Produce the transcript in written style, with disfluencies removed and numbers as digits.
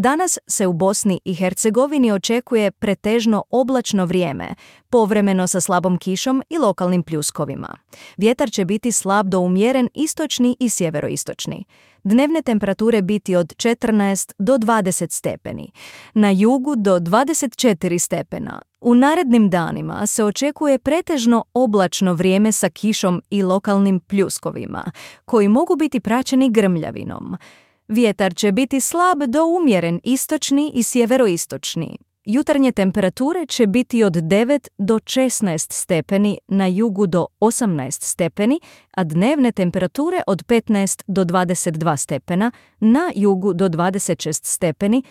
Danas se u Bosni i Hercegovini očekuje pretežno oblačno vrijeme, povremeno sa slabom kišom i lokalnim pljuskovima. Vjetar će biti slab do umjeren istočni i sjeveroistočni. Dnevne temperature biti od 14 do 20 stepeni, na jugu do 24 stepena. U narednim danima se očekuje pretežno oblačno vrijeme sa kišom i lokalnim pljuskovima, koji mogu biti praćeni grmljavinom. Vjetar će biti slab do umjeren istočni i sjeveroistočni. Jutarnje temperature će biti od 9 do 16 stepeni, na jugu do 18 stepeni, a dnevne temperature od 15 do 22 stepena, na jugu do 26 stepeni,